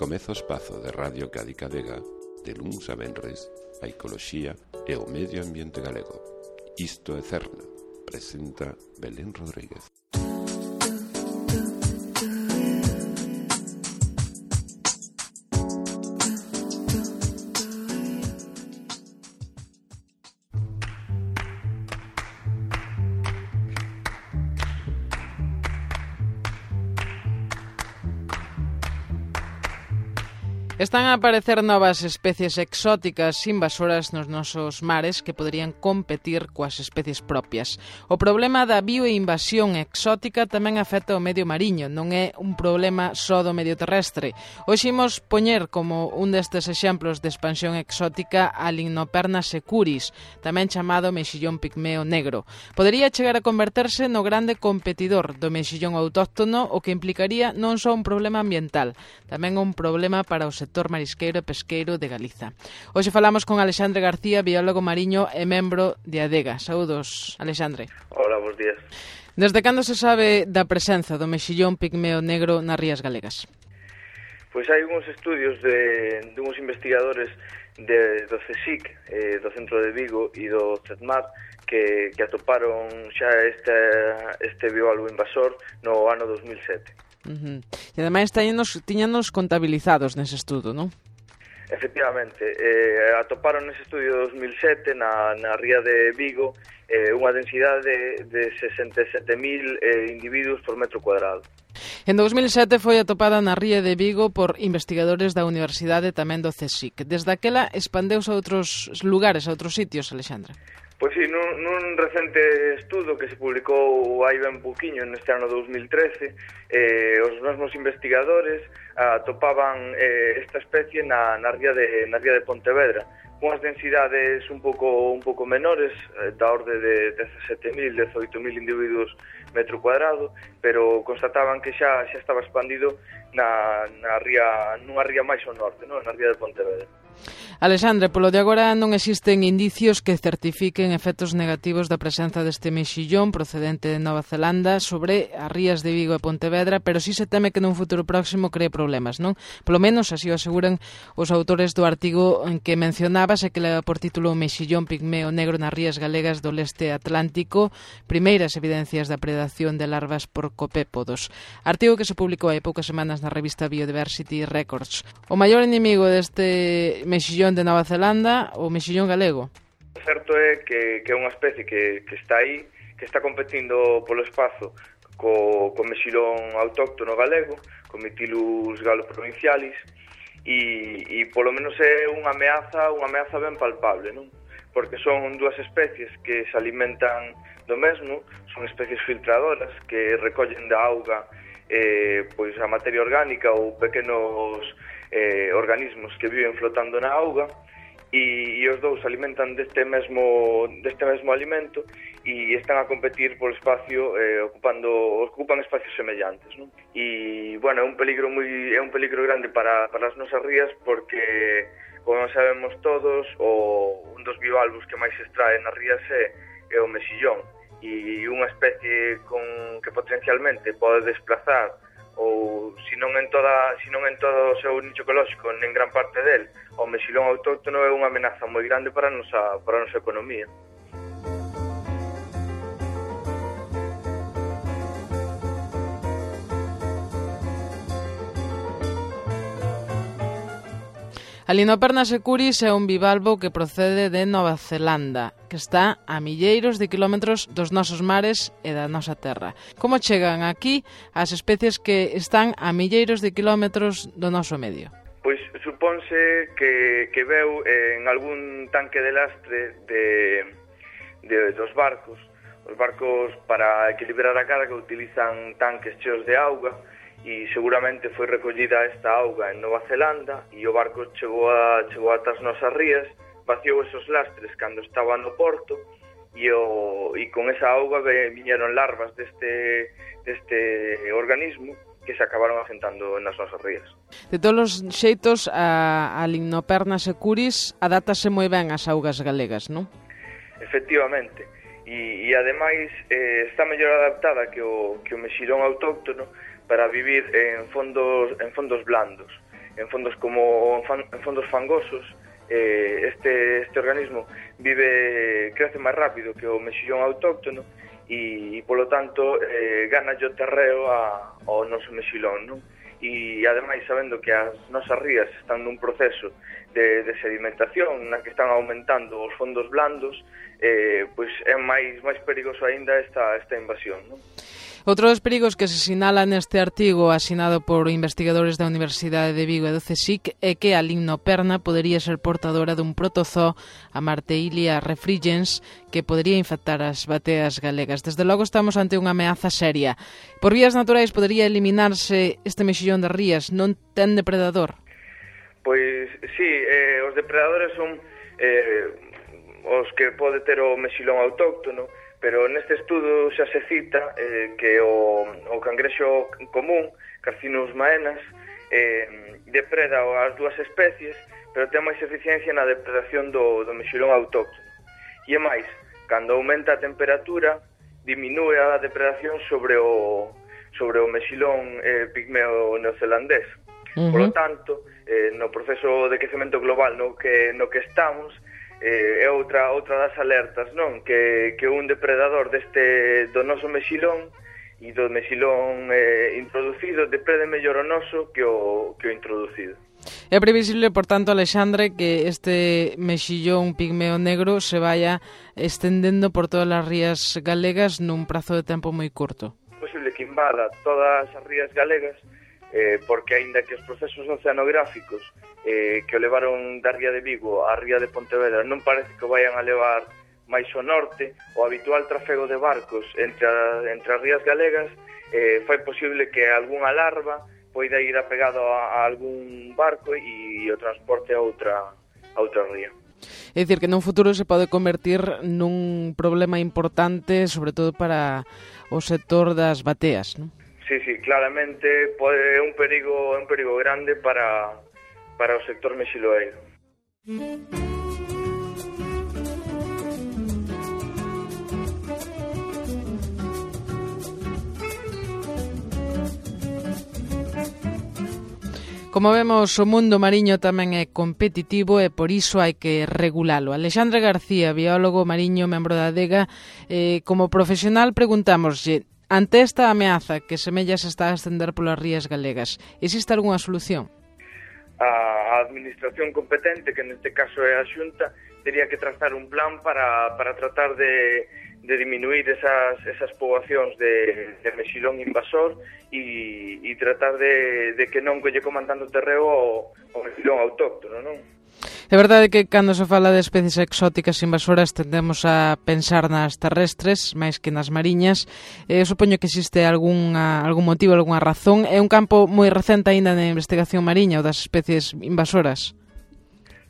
Comeza o espazo de Radio Cádiz Vega de luns a venres, a ecoloxía e o medio ambiente galego. Isto é Cerna, presenta Belén Rodríguez. Están a aparecer novas especies exóticas invasoras nos nosos mares que poderían competir coas especies propias. O problema da bioinvasión exótica tamén afecta o medio mariño, non é un problema só do medio terrestre. Hoxe imos poñer como un destes exemplos de expansión exótica a Limnoperna securis, tamén chamado mexillón pigmeo negro. Podería chegar a converterse no grande competidor do mexillón autóctono, o que implicaría non só un problema ambiental, tamén un problema para o sector marisqueiro e pesqueiro de Galiza. Hoxe falamos con Alexandre García, biólogo mariño e membro de ADEGA. Saúdos, Alexandre. Hola, bons días. Desde cando se sabe da presenza do mexillón pigmeo negro nas rías galegas? Pois hai uns estudios de uns investigadores do CSIC, do Centro de Vigo e do CETMAT que atoparon xa este biólogo invasor no ano 2007. E ademais tiñanos contabilizados nese estudo, non? Efectivamente, atoparon nese estudio de 2007 na ría de Vigo unha densidade de 67.000 individuos por metro cuadrado. En 2007 foi atopada na ría de Vigo por investigadores da Universidade tamén do CSIC. Desde aquela expandeuse a outros lugares, a outros sitios, Alexandra? Pois sí, nun recente estudo que se publicou hai ben pouquiño neste ano 2013, os mesmos investigadores atopaban esta especie na ría de Pontevedra, unhas densidades un pouco menores, da orde de 17.000, 18.000 individuos metro cuadrado, pero constataban que xa estaba expandido nunha ría máis ao norte, non? Na ría de Pontevedra. Alexandre, polo de agora non existen indicios que certifiquen efectos negativos da presenza deste mexillón procedente de Nova Zelanda sobre as rías de Vigo e Pontevedra, pero sí se teme que nun futuro próximo cree problemas, non? Polo menos así o aseguran os autores do artigo en que mencionabas e que leva por título Mexillón pigmeo negro nas rías galegas do leste atlántico, primeiras evidencias da predación de larvas por copépodos. Artigo que se publicou hai poucas semanas na revista Biodiversity Records. O maior inimigo deste mexillón de Nova Zelanda, o mexillón galego? O certo é que é unha especie que está aí, que está competindo polo espazo co mexillón autóctono galego, co Mytilus galoprovincialis, e polo menos é unha ameaza ben palpable, non? Porque son dúas especies que se alimentan do mesmo, son especies filtradoras que recollen da auga pois a materia orgánica ou pequenos organismos que viven flotando na auga, e os dous alimentan deste mesmo alimento e están a competir polo espacio ocupan espacios semellantes, non? E bueno, é un peligro grande para as nosas rías porque, como sabemos todos, un dos bivalvos que máis se extrae nas rías é o mexillón, e unha especie que potencialmente pode desplazar ou se non en todo o seu nicho ecolóxico, en gran parte del, o mexillón autóctono é unha amenaza moi grande para a nosa economía. A Limnoperna securis é un bivalvo que procede de Nova Zelanda, que está a milleiros de kilómetros dos nosos mares e da nosa terra. Como chegan aquí as especies que están a milleiros de kilómetros do noso medio? Pois supónse que veu en algún tanque de lastre dos barcos. Os barcos, para equilibrar a carga, utilizan tanques cheos de auga, e seguramente foi recollida esta auga en Nova Zelanda e o barco chegou ata as nosas rías, vaciou esos lastres cando estaba no porto e con esa auga viñeron larvas deste organismo que se acabaron asentando nas nosas rías. De todos os xeitos, a Limnoperna securis adaptase moi ben ás augas galegas, non? Efectivamente. E ademais está mellor adaptada que o mexillón autóctono para vivir en fondos blandos. en fondos como en fondos fangosos, este organismo crece máis rápido que o mexillón autóctono e polo tanto gana o terreo ao noso mexilón, non? E ademais, sabendo que as nosas rías están nun proceso de sedimentación na que están aumentando os fondos blandos, pois é máis perigoso aínda esta invasión, non? Outro dos perigos que se sinala neste artigo asinado por investigadores da Universidade de Vigo e do CSIC é que a limnoperna podería ser portadora dun protozoo, a Marteilia refrigens, que podería infectar as bateas galegas. Desde logo estamos ante unha ameaza seria. Por vías naturais podería eliminarse este mexillón de rías, non ten depredador? Pois sí, os depredadores son os que pode ter o mexilón autóctono, pero neste estudo xa se cita que o cangrexo común, Carcinus maenas, depreda as dúas especies, pero ten máis eficiencia na depredación do mexilón autóctono. E é máis, cando aumenta a temperatura, diminúe a depredación sobre o mexilón pigmeo neozelandés. Por lo tanto, no proceso de quecemento global no que estamos, é outra das alertas, non? Que un depredador do noso mexilón e do mexilón introducido deprede mellor o noso que o introducido. É previsible, por tanto, Alexandre, que este mexillón pigmeo negro se vaya estendendo por todas as rías galegas nun prazo de tempo moi curto. É posible que invada todas as rías galegas, porque aínda que os procesos oceanográficos que o levaron da ría de Vigo á ría de Pontevedra non parece que o vayan a levar máis ao norte, o habitual trafego de barcos entre as rías galegas fai posible que algunha larva poida ir apegado a algún barco e o transporte a outra ría. É dicir, que nun futuro se pode convertir nun problema importante, sobre todo para o sector das bateas, non? Sí, claramente é un perigo grande para o sector mexiloeiro. Como vemos, o mundo mariño tamén é competitivo e por iso hai que regulalo. Alexandre García, biólogo mariño, membro da ADEGA, como profesional preguntámoslle, ante esta ameaza que semella se está a estender polas rías galegas, existe algunha solución? A administración competente, que neste caso é a Xunta, teria que trazar un plan para tratar de diminuir esas poboacións de mexilón invasor e tratar de que non colle coman tanto terreo o mexilón autóctono, non? É verdade que cando se fala de especies exóticas invasoras tendemos a pensar nas terrestres máis que nas mariñas. Supoño que existe algún motivo, algunha razón. É un campo moi recente aínda na investigación mariña, o das especies invasoras.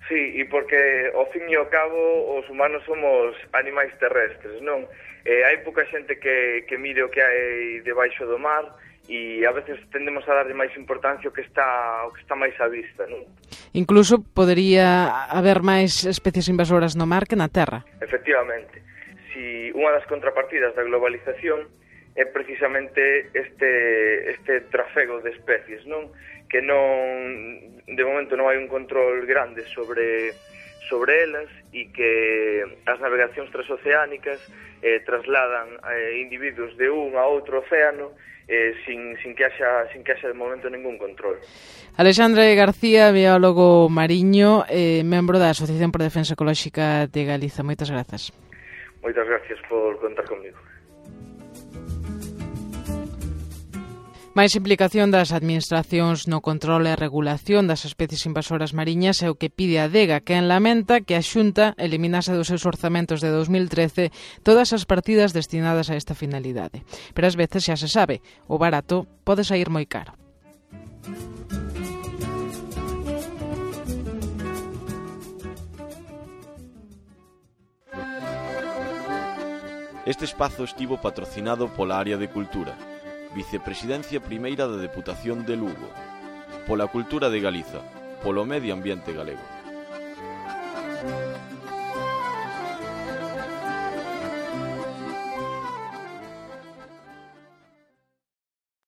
Sí, e porque ao fin e ao cabo os humanos somos animais terrestres, non? Hai pouca xente que mire o que hai debaixo do mar e a veces tendemos a darlle máis importancia ao que está máis á vista, non? Incluso podería haber máis especies invasoras no mar que na terra. Efectivamente. Si unha das contrapartidas da globalización é precisamente este trafego de especies, non? Que de momento non hai un control grande sobre elas e que as navegacións transoceánicas trasladan individuos de un a outro océano sin que haxa de momento ningún control. Alexandre García, biólogo mariño, membro da Asociación por Defensa Ecolóxica de Galiza. Moitas grazas. Moitas gracias por contar comigo. Máis implicación das administracións no control e regulación das especies invasoras mariñas é o que pide a ADEGA, que lamenta que a Xunta eliminase dos seus orzamentos de 2013 todas as partidas destinadas a esta finalidade. Pero ás veces xa se sabe, o barato pode sair moi caro. Este espazo estivo patrocinado pola Área de Cultura, Vicepresidencia Primeira da Deputación de Lugo, pola Cultura de Galiza, polo Medio Ambiente Galego.